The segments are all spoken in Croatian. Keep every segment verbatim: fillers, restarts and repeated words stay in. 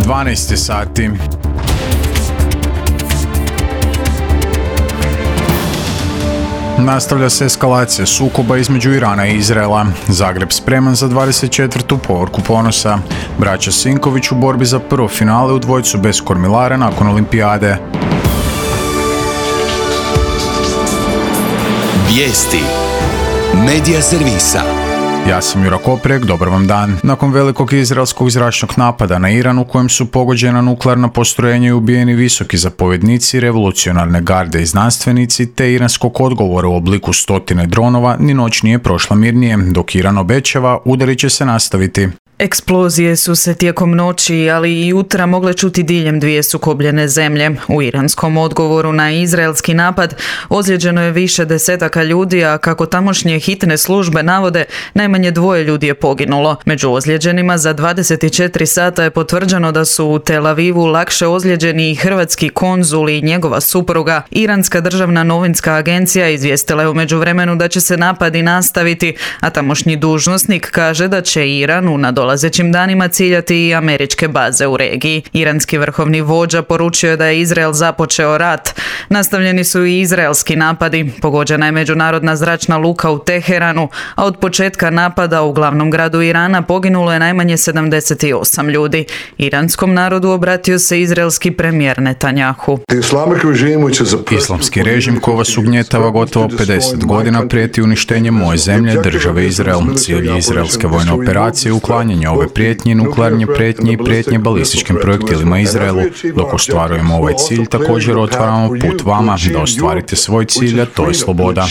dvanaest sati. Nastavlja se eskalacija sukoba između Irana i Izraela. Zagreb spreman za dvadeset četvrtu povorku ponosa. Braća Sinković u borbi za prvo finale u dvojcu bez kormilara nakon olimpijade. Vijesti Medija servisa. Ja sam Jura Koprek, dobar vam dan. Nakon velikog izraelskog zračnog napada na Iran u kojem su pogođena nuklearna postrojenja i ubijeni visoki zapovjednici, revolucionarne garde i znanstvenici, te iranskog odgovora u obliku stotine dronova, ni noć nije prošla mirnije, dok Iran obećava, udari će se nastaviti. Eksplozije su se tijekom noći, ali i jutra mogle čuti diljem dvije sukobljene zemlje. U iranskom odgovoru na izraelski napad ozlijeđeno je više desetaka ljudi, a kako tamošnje hitne službe navode, najmanje dvoje ljudi je poginulo. Među ozlijeđenima za dvadeset četiri sata je potvrđeno da su u Tel Avivu lakše ozlijeđeni i hrvatski konzul i njegova supruga. Iranska državna novinska agencija izvijestila je u međuvremenu da će se napadi nastaviti, a tamošnji dužnosnik kaže da će Iran u nadolazećim danima ciljati i američke baze u regiji. Iranski vrhovni vođa poručio je da je Izrael započeo rat. Nastavljeni su i izraelski napadi. Pogođena je međunarodna zračna luka u Teheranu, a od početka napada u glavnom gradu Irana poginulo je najmanje sedamdeset osam ljudi. Iranskom narodu obratio se izraelski premijer Netanjahu. Islamski režim koji vas ugnjetava gotovo pedeset godina prijeti uništenjem moje zemlje, države Izrael. Cilj izraelske vojne operacije uklanjanje ove prijetnje, nuklearne prijetnje i prijetnje balističkim projektilima Izraelu. Dok ostvarujemo ovaj cilj, također otvaramo put vama da ostvarite svoj cilj, a to je sloboda.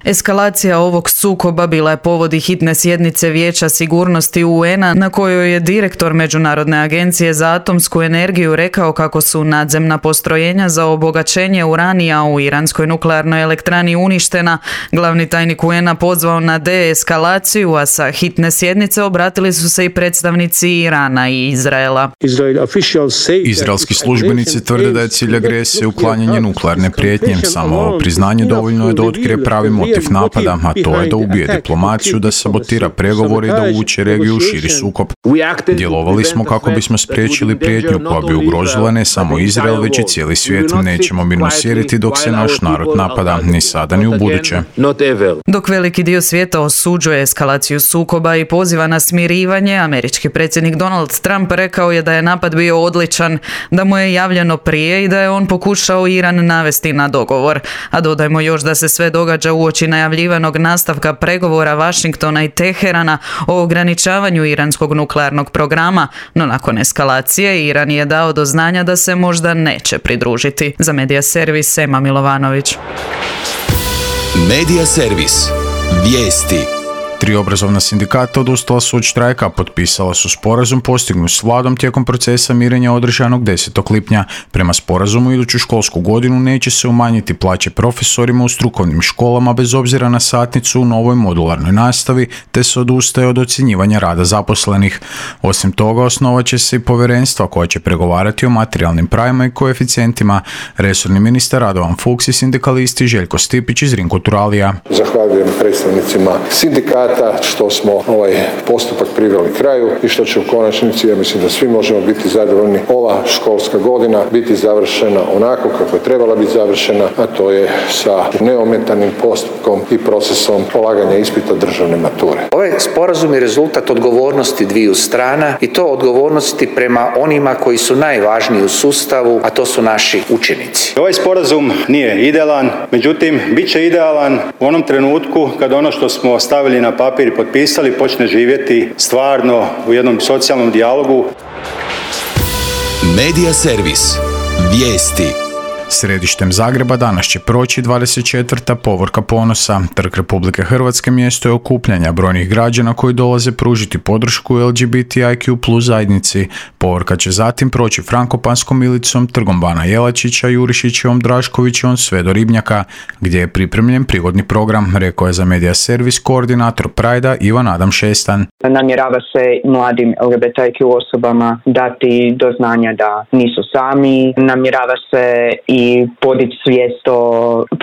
Eskalacija ovog sukoba bila je povod i hitne sjednice Vijeća sigurnosti U N-a na kojoj je direktor Međunarodne agencije za atomsku energiju rekao kako su nadzemna postrojenja za obogaćenje uranija u iranskoj nuklearnoj elektrani uništena. Glavni tajnik U N-a pozvao na deeskalaciju, a sa hitne sjednice obratili su se i predstavnici Irana i Izraela. Izraelski službenici tvrde da je cilj agresije uklanjanje nuklearne prijetnje. Samo ovo priznanje dovoljno je da otkrije pravi motiv napada, a to je da ubije diplomaciju, da sabotira pregovore i da uvuče regiju u širi sukob. Djelovali smo kako bismo spriječili prijetnju koja bi ugrozila ne samo Izrael, već i cijeli svijet. Nećemo mirno sjediti dok se naš narod napada, ni sada ni u buduće. Dok veliki dio svijeta osuđuje eskalaciju sukoba i poziva na smirivanje, američki predsjednik Donald Trump rekao je da je napad bio odličan, da mu je javljeno prije i da je on pokušao Iran navesti na dogovor. A dodajmo još da se sve događa uoči najavljivanog nastavka pregovora Washingtona i Teherana o ograničavanju iranskog nuklearnog programa, no nakon eskalacije Iran je dao do znanja da se možda neće pridružiti. Za Medija servis Ema Milovanović. Medija servis. Vijesti. Tri obrazovna sindikata odustala su od štrajka, potpisala su sporazum postignut s vladom tijekom procesa mirenja održanog desetog lipnja. Prema sporazumu iduću školsku godinu neće se umanjiti plaće profesorima u strukovnim školama bez obzira na satnicu u novoj modularnoj nastavi, te se odustaje od ocjenjivanja rada zaposlenih. Osim toga, osnovat će se i povjerenstva koja će pregovarati o materijalnim pravima i koeficijentima. Resorni ministar Radovan Fuchs i sindikalisti Željko Stipić iz Rinkoturalija. Zahvaljujem predstavnicima sindikata što smo ovaj postupak priveli kraju i što će u konačnici, ja mislim da svi možemo biti zadovoljni, ova školska godina biti završena onako kako je trebala biti završena, a to je sa neometanim postupkom i procesom polaganja ispita državne mature. Ovaj sporazum je rezultat odgovornosti dviju strana i to odgovornosti prema onima koji su najvažniji u sustavu, a to su naši učenici. Ovaj sporazum nije idealan, međutim, bit će idealan u onom trenutku kada ono što smo stavili na papir i potpisali počne živjeti stvarno u jednom socijalnom dijalogu. Medija servis. Vijesti. Središtem Zagreba danas će proći dvadeset četvrta povorka ponosa. Trg Republike Hrvatske mjesto je okupljanja brojnih građana koji dolaze pružiti podršku L G B T I Q plus zajednici. Povorka će zatim proći Frankopanskom ilicom, trgom Bana Jelačića, Jurišićevom, Draškovićevom sve do Ribnjaka, gdje je pripremljen prigodni program, rekao je za Medija servis koordinator Prajda Ivan Adam Šestan. Namjerava se mladim L G B T I Q osobama dati do znanja da nisu sami. Namjerava se i i podići svijest o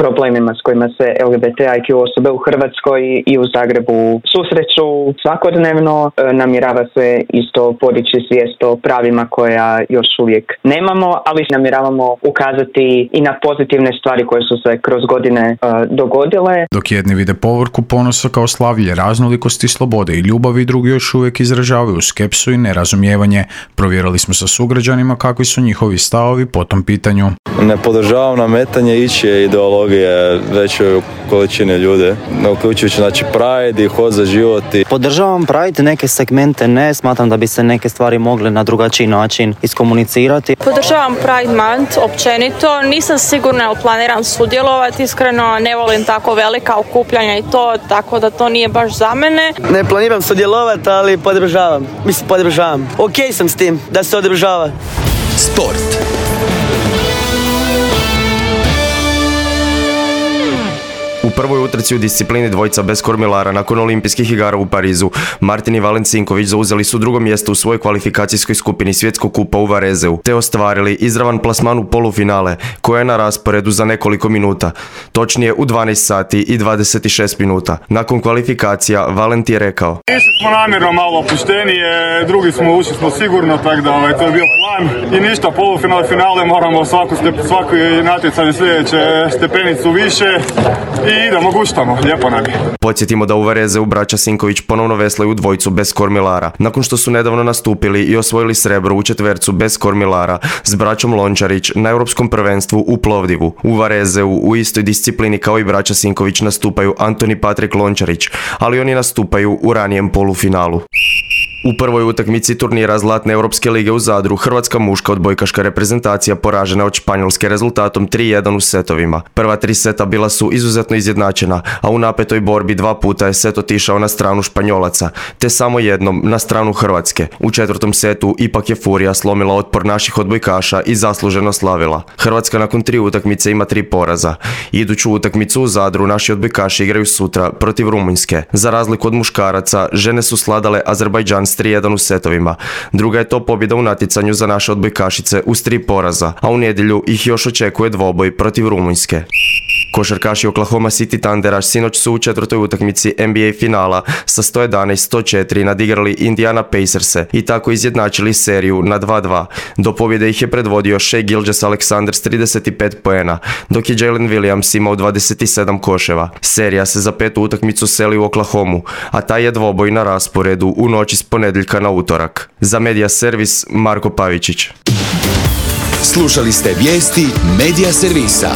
problemima s kojima se L G B T I Q osobe u Hrvatskoj i u Zagrebu susreću svakodnevno. Namjerava se isto podići svijest o pravima koja još uvijek nemamo, ali namjeravamo ukazati i na pozitivne stvari koje su se kroz godine uh, dogodile. Dok jedni vide povorku ponosa kao slavlje raznolikosti, slobode i ljubavi, drugi još uvijek izražavaju skepsu i nerazumijevanje. Provjerili smo sa sugrađanima kakvi su njihovi stavovi po tom pitanju. Ne podržavam nametanje ičije ideologije većoj količini ljudi, uključujući znači Pride i Hod za život. Podržavam Pride, neke segmente ne, smatram da bi se neke stvari mogle na drugačiji način iskomunicirati. Podržavam Pride Month općenito, nisam sigurna jel planiram sudjelovati, iskreno ne volim tako velika okupljanja i to, tako da to nije baš za mene. Ne planiram sudjelovati, ali podržavam, mislim podržavam. Ok sam s tim da se održava. Sport. U prvoj utrci u disciplini dvojica bez kormilara nakon olimpijskih igara u Parizu, Martin i Valen Cinković zauzeli su drugo mjesto u svojoj kvalifikacijskoj skupini svjetskog kupa u Varezeu, te ostvarili izravan plasman u polufinale, koja je na rasporedu za nekoliko minuta, točnije u dvanaest sati i dvadeset šest minuta. Nakon kvalifikacija, Valent je rekao: Išli smo namjerno malo opuštenije, drugi smo ušli smo sigurno, tako da ovaj, to je bio plan. I ništa, polufinale, finale, moramo svaku, step, svaku natjecanje sljedeće stepenicu više i idemo, guštamo, lijepo nam je. Podsjetimo da u Varezeu braća Sinković ponovno veslaju dvojicu bez kormilara, nakon što su nedavno nastupili i osvojili srebro u četvercu bez kormilara s braćom Lončarić na europskom prvenstvu u Plovdivu. U Varezeu u istoj disciplini kao i braća Sinković nastupaju Antoni Patrik Lončarić, ali oni nastupaju u ranijem polufinalu. U prvoj utakmici turnira Zlatne Europske lige u Zadru, hrvatska muška odbojkaška reprezentacija poražena od Španjolske rezultatom tri jedan u setovima. Prva tri seta bila su izuzetno izjednačena, a u napetoj borbi dva puta je set otišao na stranu Španjolaca, te samo jednom na stranu Hrvatske. U četvrtom setu ipak je Furija slomila otpor naših odbojkaša i zasluženo slavila. Hrvatska nakon tri utakmice ima tri poraza. Iduću utakmicu u Zadru naši odbojkaši igraju sutra protiv Rumunjske. Za razliku od muškaraca, žene su sladale Azerbajdžan tri jedan u setovima. Druga je to pobjeda u natjecanju za naše odbojkašice uz tri poraza, a u nedjelju ih još očekuje dvoboj protiv Rumunjske. Košarkaši Oklahoma City Thundera sinoć su u četvrtoj utakmici N B A finala sa sto jedanaest sto četiri nadigrali Indiana Pacerse i tako izjednačili seriju na dva dva. Do pobjede ih je predvodio Shai Gilgeous-Alexander s trideset pet poena, dok je Jalen Williams imao dvadeset sedam koševa. Serija se za petu utakmicu seli u Oklahomu, a taj je dvoboj na rasporedu u noći s ponedjeljka na utorak. Za Media Servis, Marko Pavičić. Slušali ste vijesti Media Servisa.